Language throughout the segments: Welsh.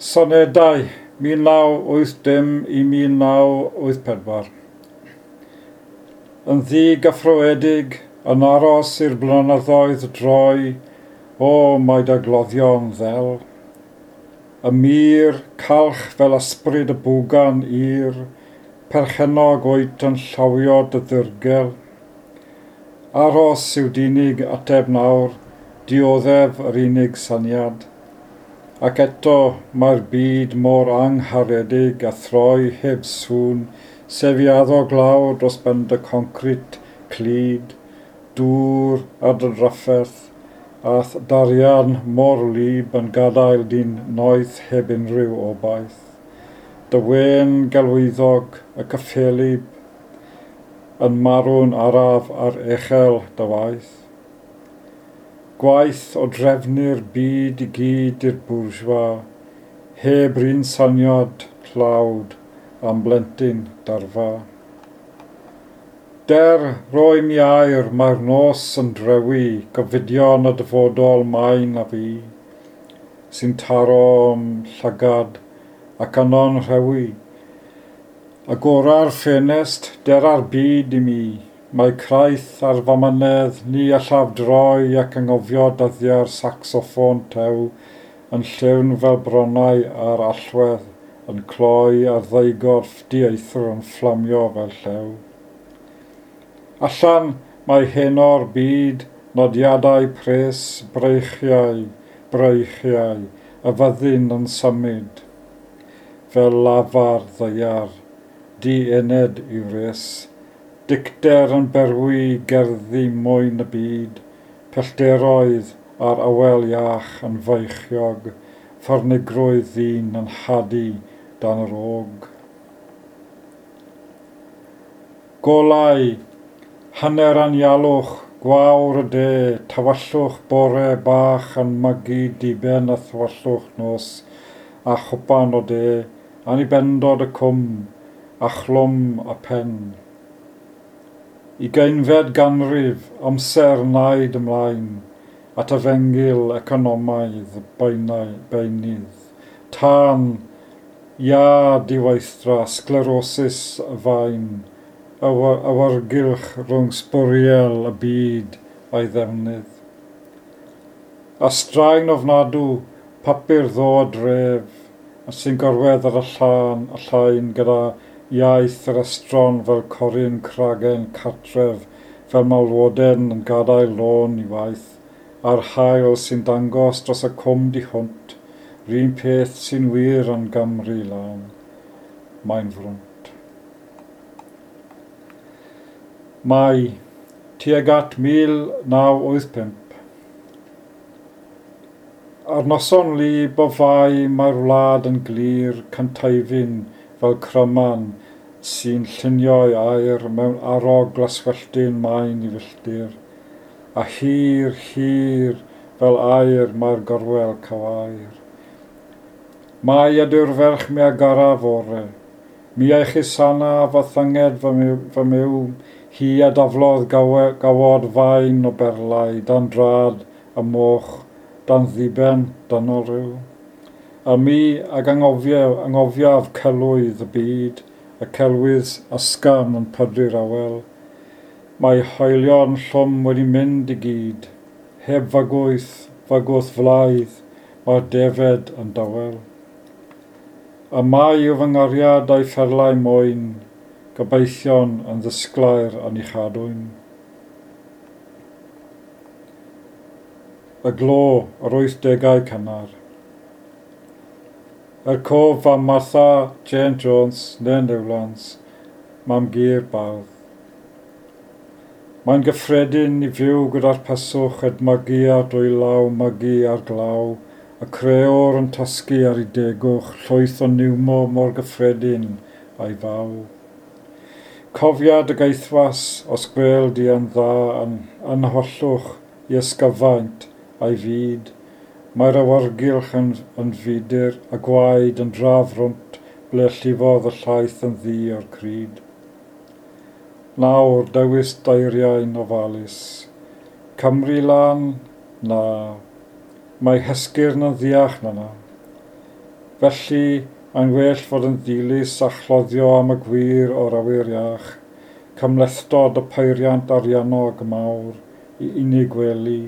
Sonedau 1980 i 1984. Yn ddigyffroedig, yn aros i'r blynyddoedd droi, o, mae dagloddion ddel. Y mur, calch fel ysbryd y bwgan i'r, perchennog wyt yn llawio dy ddirgel. Aros yw d'unig ateb nawr, dioddef yr unig syniad. Ac eto mae'r byd mor angharedig a throi heb sŵn, sef i addo glaw dros ben dy concrit clyd, dŵr a dy drafferth, a'th darian mor wlyb yn gadael di'n noeth heb unrhyw obaith. Dy wên gelwyddog y cyffelyb yn marw'n araf ar echel dy waith. Gwaith o drefnu'r byd i gyd i'r bourgeois, heb run syniad tlawd am blentyn darfa. Der, roi mi air, mae'r nos yn drewi, gofidion y dyfodol main a fi, sy'n taro'm llygad ac yno'n rhewi. Agora'r ffenest, dera'r byd i mi, mae craith ar f'amynedd, ni allaf droi ac anghofio dyddiau'r saxoffon tew yn llyfn fel bronnau ar allwedd, yn cloi ar ddeugorff dieithr yn fflamio fel llew. Allan mae heno'r byd, nodiadau pres, breichiau, breichiau, y fyddin yn symud, fel lafar ddaear, di-ened i wres, dicter yn berwi gerddi mwyn y byd, pellteroedd a'r awel iach yn feichiog, ffyrnigrwydd ddyn yn hadu dan yr og. Golau, hanner anialwch, gwawr y de, tywyllwch bore bach yn mygu diben a thywyllwch nos, a chwpan o de, anibendod y cwm, a chlwm y pen. Ugeinfed ganrif, amser naid ymlaen, at efengyl economaidd beunydd, tân, ia diweithdra, sglerosis y faen, awyrgylch rhwng sbwriel y byd a'i ddefnydd. A straen ofnadw, papur ddo dref, sy'n gorwedd ar y llan, y llain gyda iaith yr estron fel coryn cragen cartref, fel malwoden yn gadael lôn i waith, a'r haul sy'n dangos dros y cwm di hwnt, r'un peth sy'n wir yn Gymru lân. Mae'n frwnt. Mai, tuag at 1985. Ar noson wlyb o Fai mae'r wlad yn glir cyntaifyn fel cryman sy'n llunio'i aer mewn arog glaswelltyn main i filltir, a hir, hir fel aer mae'r gorwel cywair. Mai ydyw'r ferch mi a garaf ore, mi a'i chusana fy thynged fy myw, hi a daflodd gawod fain o berlau dan drad y moch, dan ddiben dynol rhyw. A mi ag angofiaf celwydd y byd, y celwydd ysgafn yn pydru'r awel. Mae hoelion llwm wedi mynd i gyd, heb fygwth, fygwth flaidd, mae'r defed yn dawel. A mai yw fy nghariad a'i pherlau mwyn, gobeithion yn ddisglair yn ei chadwyn. Y glo, yr 80au cynnar. Er cof am Martha Jane Jones, neu Newlands, mam gu'r bardd. Mae'n gyffredin i fyw gyda'r peswch edmygu ar dwylaw, mygu ar glaw, y creor yn tasgu ar ei degwch, llwyth o niwmo mor gyffredin a'i faw. Cofiad y gaethwas, os gwel di yn dda yn anhollwch i ysgyfaint a'i fyd, mae'r awyrgylch yn fudur a gwaed yn drafrwnt ble llifodd y llaeth yn ddu o'r cryd. Nawr, dewis dairiau'n ofalus. Cymru lan? Na. Mae hesgyrn yn ddiach na na. Felly, mae'n well fod yn ddilys a chloddio am y gwir o'r awyr iach, cymhlethdod y peiriant ariannog mawr i unig wely,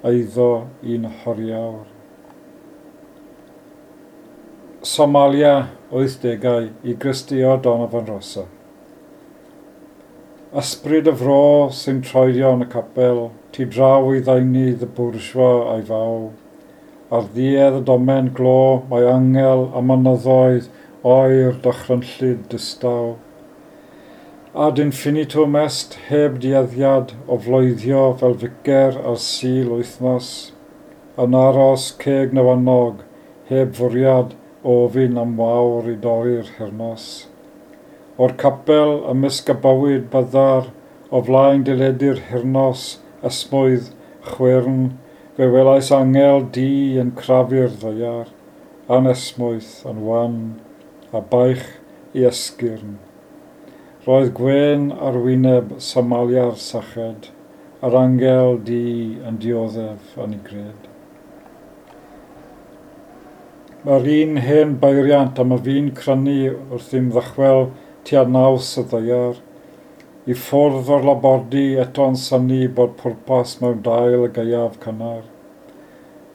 eiddo un horiawr. Somalia, 80au, i Gristio Donovan Rosa. Ysbryd y fro sy'n troedio yn y capel, tu draw i ddeunydd y bwrjwa a'i faw. Ar ddiedd y domen glo mae angel a mynyddoedd oer dychrynllyd distaw. Ad infinitum est heb dueddiad o floeddio fel ficer ar Sul wythnos, yn aros ceg newynog heb fwriad o ofyn am wawr i dorri'r hirnos. O'r capel ymysg y bywyd byddar o flaen deledu'r hirnos esmwyth chwyrn, fe welais angel du yn crafu'r ddaear, anesmwyth yn wan, a baich i esgyrn. Roedd gwên ar wyneb Somalia'r syched, a'r angel du yn dioddef yn ei gred. Mae'r un hen beiriant am y fi'n crynu wrth im ddychwel tua naws y ddaear, i ffwrdd o'r labordy eto'n synnu bod pwrpas mewn dail y gaeaf cynnar.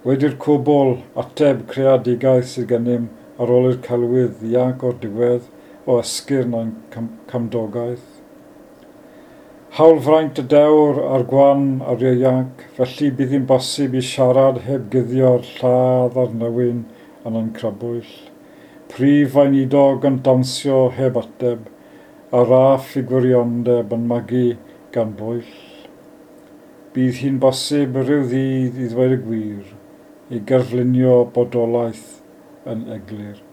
Wedi'r cwbl, ateb creadigaeth sydd gennym ar ôl i'r celwydd ddianc o'r diwedd o esgyrn ein cymdogaeth. Hawlfraint y dewr a'r gwan a'r ieuanc, felly bydd hi'n bosib i siarad heb guddio'r lladd a'r newyn yn ein crybwyll. Prif weinidog yn dawnsio heb ateb, a raff i gwiriondeb yn magu gan bwyll. Bydd hi'n bosib rhyw ddydd i ddweud y gwir, i gerflunio bodolaeth yn eglur.